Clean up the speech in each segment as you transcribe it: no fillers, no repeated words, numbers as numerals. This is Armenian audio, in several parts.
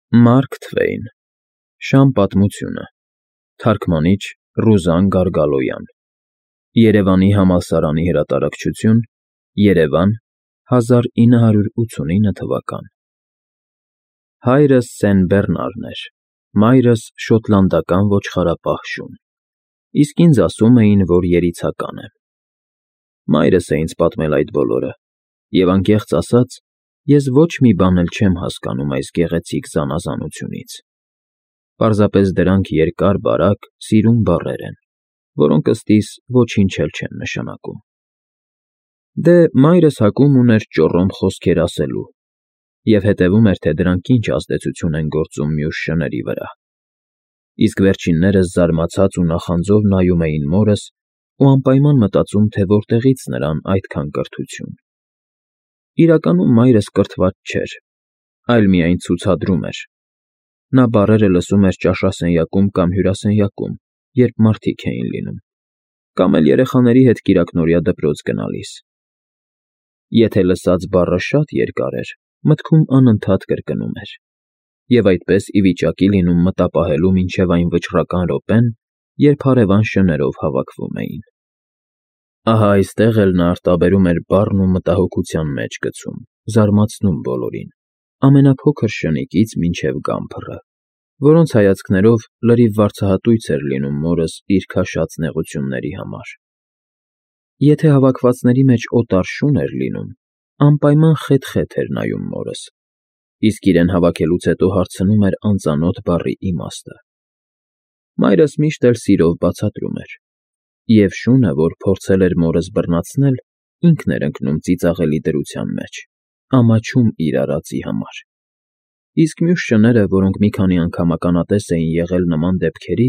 Մարկ Թվեյն, Շամ պատմությունը, թարգմանիչ՝ Ռուզան Գարգալոյան, Երևանի համալսարանի հրատարակչություն, Երևան, 1989 թվական։ Հայրս Սեն Բեռնարն էր, մայրս շոտլանդական ոչխարապահ շուն, իսկ ինձ ասում էին, որ երիցական եմ։ Մայրս է ինձ պատմել այդ բոլորը, և անկեղծ ասած, ես ոչ մի բան էլ չեմ հասկանում այս գեղեցիկ զանազանությունից։ Պարզապես դրանք երկար-բարակ, սիրուն բառեր են, որոնք ըստիս ոչինչ էլ չեն նշանակում։ Դե մայրս հակում ուներ ճոռոմ խոսքեր ասելու և հետևում էր, թե դրանք ինչ ազդեցություն են գործում մյուս շների վրա։ Իսկ վերջիններս զարմացած ու նախանձով նայում էին մորս ու անպայման մտածում, թե որտեղից նրան այդքան կրթություն։ Իրականում մայրս կրթված չէր, այլ միայն ցուցադրում էր։ Նա բառերը լսում էր ճաշասենյակում կամ հյուրասենյակում, երբ մարդիկ էին լինում, կամ էլ երեխաների հետ կիրակնօրյա դպրոց գնալիս։ Եթե լսած բառը շատ երկար էր, մտքում անընդհատ կրկնում էր, և այդպես ի վիճակի լինում մտապահելու մինչև այն վճռական րոպեն, երբ հարևան շներով հավաքվում էին։ Ահա այստեղ էլ նա արտաբերում էր բառն ու մտահոգության մեջ գցում, զարմացնում բոլորին, ամենափոքր շնիկից մինչև գամբռը, որոնց հայացքներով լրիվ վարձահատույց էր լինում մորս իր քաշած նեղությունների համար։ Եթե հավաքվածների մեջ օտար շուն էր լինում, անպայման խեթ-խեթ էր նայում մորս, իսկ իրեն հավաքելուց հետո հարցնում էր անծանոթ բառի իմաստը։ Մայրս միշտ էլ սիրով բացատրում էր, և շունը, որ փորձել էր մորս բռնացնել, ինքն էր ընկնում ծիծաղելի դրության մեջ, ամաչում իր արածի համար։ Իսկ մյուս շները, որոնք մի քանի անգամ ականատես էին եղել նման դեպքերի,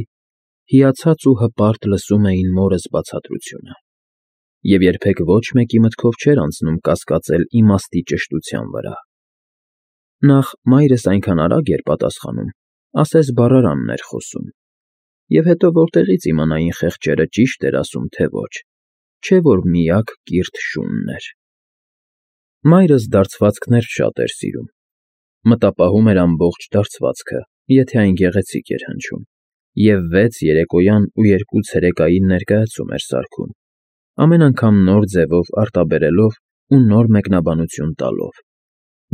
հիացած ու հպարտ լսում էին մորս բացատրությունը, և երբեք ոչ մեկի մտքով չէր անցնում կասկածել իմաստի ճշտության վրա։ Նախ մայրս այնքան արագ էր պատասխանում, ասես բառարանն էր խոսում, և հետո որտեղից իմանային խեղճերը ճիշտ էր ասում, թե ոչ, չէ որ միակ կիրթ շունն էր։ Մայրս դարձվածքներ շատ էր սիրում, մտապահում էր ամբողջ դարձվածքը, եթե այն գեղեցիկ էր հնչում, և 6 երեկոյան ու 2 ցերեկային ներկայացում էր սարքում, ամեն անգամ նոր ձևով արտաբերելով ու նոր մեկնաբանություն տալով,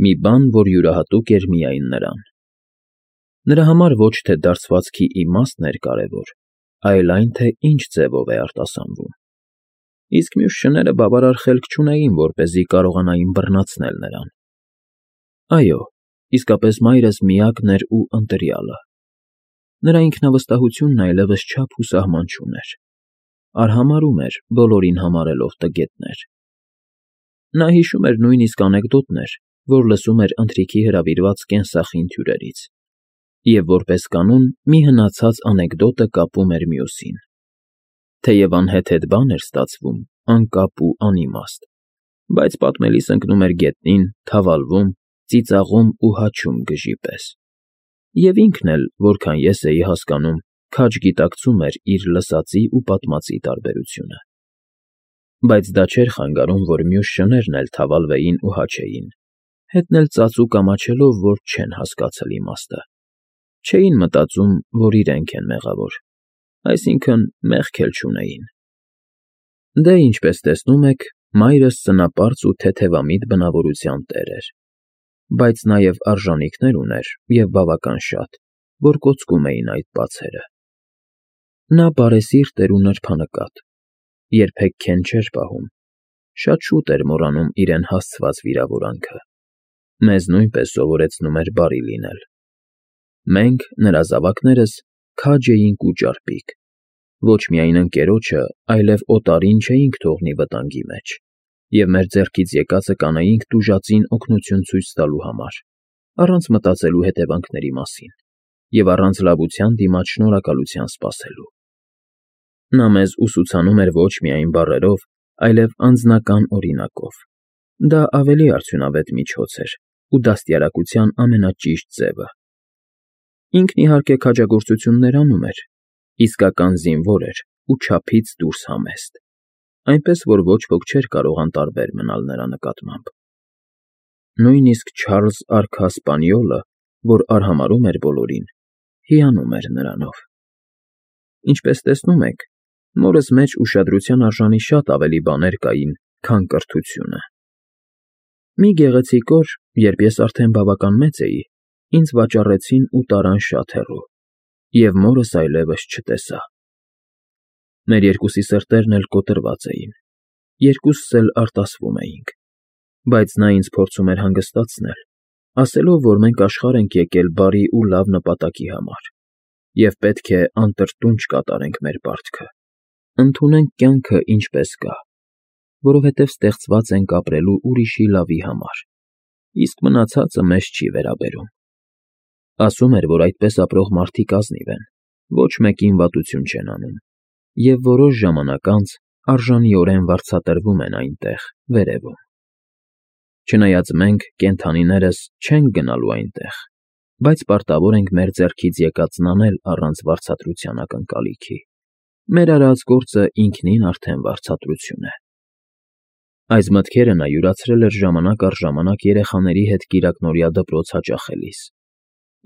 մի բան, որ յուրահատուկ էր միայն նրան։ Նրա համար ոչ թե դարձվածքի իմաստն էր կարևոր, այլ այն, թե ինչ ձևով է արտասանվում։ Իսկ մյուս շները բավարար խելք չունեին, որպեսզի կարողանային բռնացնել նրան։ Այո, իսկապես մայրս միակն էր ու ընտրյալը։ Նրա ինքնավստահությունն այլևս չափ ու սահման չուներ, արհամարհում էր, բոլորին համարելով տգետներ։ Նա հիշում էր նույնիսկ անեկդոտներ, որ լսում էր ընթրիքի հրավիրված կենսախինդ հյուրերից, և որպես կանոն մի հնացած անեկդոտը կապում էր մյուսին։ Թեև անհեթեթ բան էր ստացվում, անկապ ու անիմաստ, բայց պատմելիս ընկնում էր գետնին, թավալվում, ծիծաղում ու հաչում գժի պես։ Եվ ինքն էլ, որքան ես էի հասկանում, քաջ գիտակցում էր իր լսածի ու պատմածի տարբերությունը։ Բայց դա չէր խանգարում, որ մյուս շներն էլ թավալվեին ու հաչեին, հետն էլ ծածուկ ամաչելով, որ չեն հասկացել իմաստը։ Չէին մտածում, որ իրենք են մեղավոր, այսինքն մեղք էլ չունեին։ Դե, ինչպես տեսնում եք, մայրս սնապարծ ու թեթևամիտ բնավորության տեր էր, բայց նաև արժանիքներ ուներ և բավական շատ, որ կոծկում էին այդ բացերը։ Նա բարեսիրտ էր ու նրբանկատ, երբեք քեն չէր պահում, շատ շուտ էր մոռանում իրեն հասցված վիրավորանքը, մեզ նույնպես սովորեցնում էր բարի լինել։ Մենք, նրա զավակներս, քաջ էինք ու ճարպիկ, ոչ միայն ընկերոջը, այլև օտարին չէինք թողնի վտանգի մեջ, և մեր ձեռքից եկածը կանեինք տուժածին օգնություն ցույց տալու համար, առանց մտածելու հետևանքների մասին և առանց լավության դիմաց շնորհակալության սպասելու։ Նա մեզ ուսուցանում էր ոչ միայն բառերով, այլև անձնական օրինակով։ Դա ավելի արդյունավետ միջոց էր ու դաստիարակության ամենաճիշտ ձևը։ Ինքն, իհարկե, քաջագործություններ անում էր, իսկական զինվոր էր ու չափից դուրս համեստ, այնպես որ ոչ ոք չէր կարող անտարբեր մնալ նրա նկատմամբ։ Նույնիսկ Չարլզ արքա Սպանիոլը, որ արհամարհում էր բոլորին, հիանում էր նրանով։ Ինչպես տեսնում եք, մորս մեջ ուշադրության արժանի շատ ավելի բաներ կային, քան կրթությունը։ Մի գեղեցիկ օր, երբ ես արդեն բավական մեծ էի, ինձ վաճառեցին ու տարան շատ հեռու, և մորս այլևս չտեսա։ Մեր երկուսի սրտերն էլ կոտրված էին, երկուսս էլ արտասվում էինք, բայց նա ինձ փորձում էր հանգստացնել, ասելով, որ մենք աշխարհ ենք եկել բարի ու լավ նպատակի համար, և պետք է անտրտունջ կատարենք մեր պարտքը, ընդունենք կյանքը ինչպես կա, որովհետև ստեղծված ենք ապրելու ուրիշի լավի համար, իսկ մնացածը մեզ չի վերաբերում։ Ասում էր, որ այդպես ապրող մարդիկ ազնիվ են, ոչ մեկին վատություն չեն անում, և որոշ ժամանակ անց արժանիորեն վարձատրվում են այնտեղ, վերևում։ Չնայած մենք, կենդանիներս, չենք գնալու այնտեղ, բայց պարտավոր ենք մեր ձեռքից եկածն անել առանց վարձատրության ակնկալիքի։ Մեր արած գործը ինքնին արդեն վարձատրություն է։ Այս մտքերը նա յուրացրել էր ժամանակ առ ժամանակ երեխաների հետ կիրակնօրյա դպրոց հաճախելիս,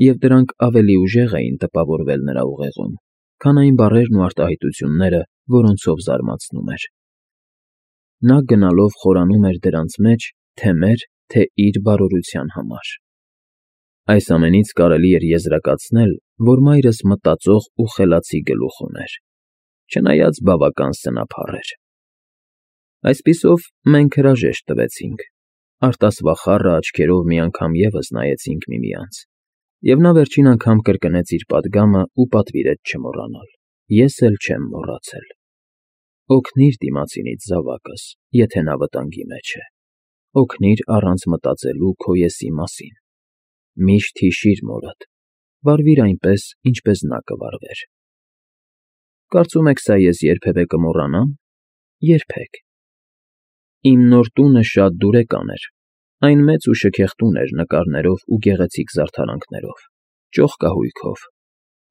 և դրանք ավելի ուժեղ էին տպավորվել նրա ուղեղում, քան այն բառերն ու արտահայտությունները, որոնցով զարմացնում էր։ Նա գնալով խորանում էր դրանց մեջ թե մեր, թե իր բարօրության համար։ Այս ամենից կարելի էր եզրակացնել, որ մայրս մտածող ու խելացի գլուխ ուներ, չնայած բավական սնափառ էր։ Այսպիսով, մենք հրաժեշտ տվեցինք, արտասվախառը աչքերով մի անգամ ևս նայեցինք միմյանց, և նա վերջին անգամ կրկնեց իր պատգամը ու պատվիրեց չմոռանալ։ Ես էլ չեմ մոռացել։ Օգնիր դիմացինից, զավակս, եթե նա վտանգի մեջ է։ Օգնիր առանց մտածելու քո եսի մասին։ Միշտ հիշիր մորդ, վարվիր այնպես, ինչպես նա կվարվեր։ Կարծում եք սա ես երբևէ կմոռանա՞մ։ Երբեք։ Իմ նոր տունը շատ դուրեկան էր, այն մեծ ու շքեղ տուն էր նկարներով ու գեղեցիկ զարդարանքներով, ճոխկահույքով,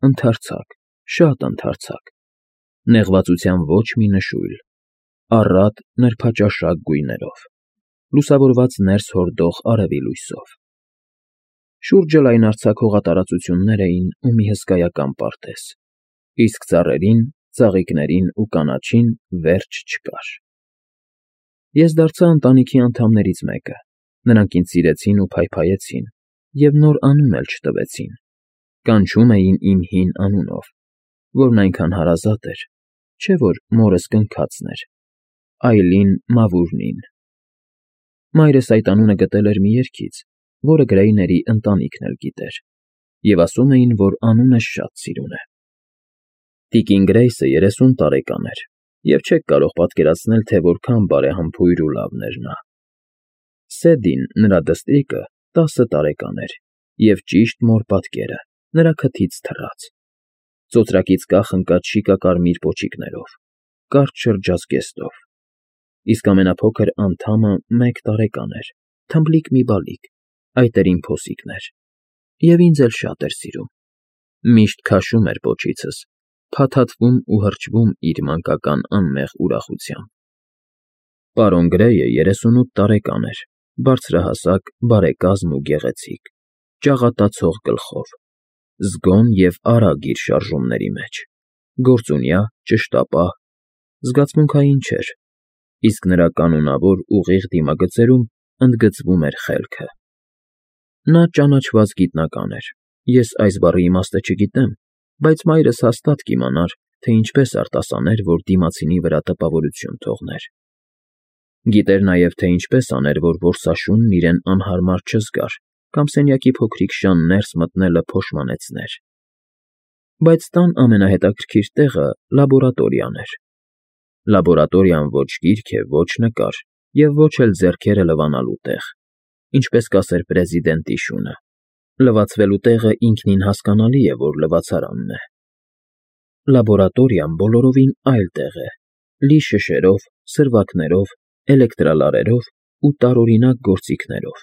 ընդարձակ, շատ ընդարձակ, նեղվածության ոչ մի նշույլ, առատ նրբաճաշակ գույներով, լուսավորված ներս հորդող արևի լույսով։ Շուրջը լայնարձակ հողատարածություններ էին ու մի հսկայական պարտեզ, իսկ ծառերին, ծաղիկներին ու կանաչին վերջ չկար։ Ես դարձա ընտանիքի անդամներից մեկը, նրանք ինձ սիրեցին ու փայփայեցին, և նոր անուն էլ չտվեցին, կանչում էին իմ հին անունով, որն այնքան հարազատ էր, չէ՞ որ մորս կնքածն էր, Այլին Մավուրնին։ Մայրս այդ անունը գտել էր մի երգից, որը Գրեյների ընտանիքն էլ գիտեր, և ասում էին, որ անունը շատ սիրուն է։ Տիկին Գրեյսը 30 տարեկան էր, և չեք կարող պատկերացնել, թե որքան բարեհամբույր ու լավն էր նա։ Սեդին, նրա դստրիկը, 10 տարեկան էր, և ճիշտ մոր պատկերը, նրա քթից թռած, ծոծրակից կախ ընկած շիկակարմիր պոչիկներով, կարճ շրջազգեստով, իսկ ամենափոքր անդամը 1 տարեկան էր, թմբլիկ մի բալիկ, այդ էր իմ փոսիկն էր, և ինձ էլ շատ էր սիրում, միշտ քաշում էր պոչիցս, փաթաթվում ու հրճվում իր մանկական անմեղ ուրախությամբ։ Պարոն Գրեյը 38 տարեկան էր, բարձրահասակ, բարեկազմ ու գեղեցիկ, ճաղատացող գլխով, զգոն և արագ իր շարժումների մեջ, գործունյա, ճշտապահ, զգացմունքային չէր, իսկ նրա կանոնավոր ուղիղ դիմագծերում ընդգծվում էր խելքը։ Նա ճանաչված գիտնական էր, ես այս բառի իմաստը չգիտեմ, բայց մայրս հաստատ կիմանար, թե ինչպես արտասաներ, որ դիմացինի վրա տպավորություն թողներ։ Գիտեր նաև, թե ինչպես աներ, որ որսաշունն իրեն անհարմար չզգար կամ սենյակի փոքրիկ շան ներս մտնելը փոշմանեցներ։ Բայց տան ամենահետաքրքիր տեղը լաբորատորիան էր։ Լաբորատորիան ոչ գիրք է, ոչ նկար և ոչ էլ ձեռքերը լվանալու տեղ, ինչպես կասեր պրեզիդենտի շունը։ Լվացվելու տեղը ինքնին հասկանալի է, որ լվացարանն է։ Լաբորատորիան բոլորովին այլ տեղ է, լի շշերով, սրվակներով, էլեկտրալարերով ու տարօրինակ գործիքներով։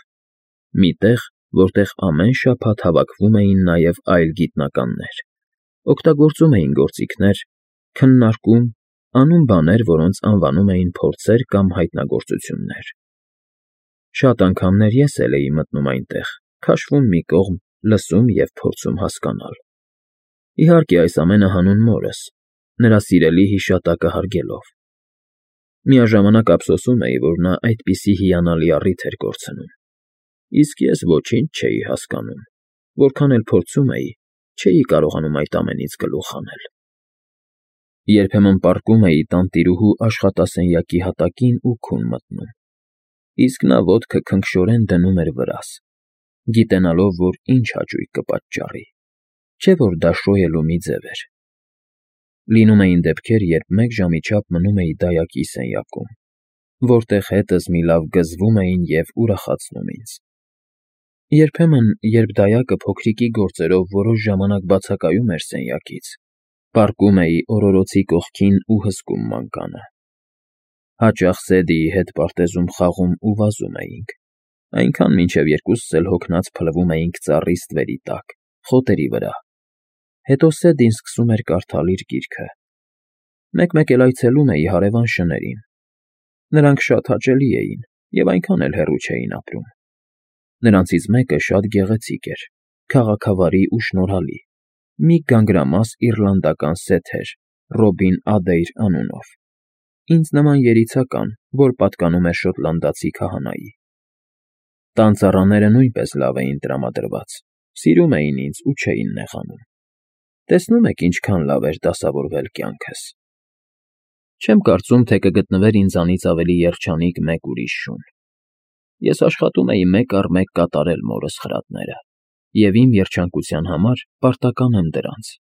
Մի տեղ, որտեղ ամեն շաբաթ հավաքվում էին նաև այլ գիտնականներ, օգտագործում էին գործիքներ, քննարկում, անում բաներ, որոնց անվանում էին փորձեր կամ հայտնագործություններ։ Շատ անգամներ ես էլ էի մտնում այնտեղ, քաշվում մի կողմ, լսում և փորձում հասկանալ։ Իհարկե, այս ամենը հանուն մորս, նրա սիրելի հիշատակը հարգելով։ Միաժամանակ ափսոսում էի, որ նա այդպիսի հիանալի առիթ էր կորցնում, իսկ ես ոչինչ չէի հասկանում, որքան էլ փորձում էի, չէի կարողանում այդ ամենից գլուխ հանել։ Երբեմն պառկում էի տանտիրուհու աշխատասենյակի հատակին ու քուն մտնում, իսկ նա ոտքը քնքշորեն դնում էր վրաս, գիտենալով, որ ինչ հաճույք կպատճառի, չէ՞ որ դա շոյելու մի ձև էր։ Լինում էին դեպքեր, երբ մեկ ժամի չափ մնում էի դայակի սենյակում, որտեղ հետս մի լավ գզվում էին և ուրախացնում ինձ։ Երբեմն, երբ դայակը փոքրիկի գործերով որոշ ժամանակ բացակայում էր սենյակից, պառկում էի օրորոցի կողքին ու հսկում մանկանը։ Հաճախ Սեդիի հետ պարտեզում խաղում ու վազում էինք, այնքան մինչև երկուսս էլ հոգնած փլվում էինք ծառի ստվերի տակ, խոտերի վրա։ Հետո Սեդին սկսում էր կարդալ իր գիրքը։ Մեկ֊մեկ էլ այցելում էի հարևան շներին։ Նրանք շատ հաճելի էին և այնքան էլ հեռու չէին ապրում։ Նրանցից մեկը շատ գեղեցիկ էր, քաղաքավարի ու շնորհալի, մի գանգրամաս իռլանդական սեթ էր Ռոբին Ադեյր անունով, ինձ նման երիցական, որ պատկանում էր շոտլանդացի քահանայի։ Տան ծառաները նույնպես լավ էին տրամադրված, սիրում էին ինձ ու չէին նեղանում։ Տեսնում եք ինչքան լավ էր դասավորվել կյանքս։ Չեմ կարծում, թե կգտնվեր ինձանից ավելի երջանիկ մեկ ուրիշ շուն։ Ես աշխատում էի մեկ առ մեկ կատարել մորս խրատները և իմ երջանկության համար պարտական եմ դրանց։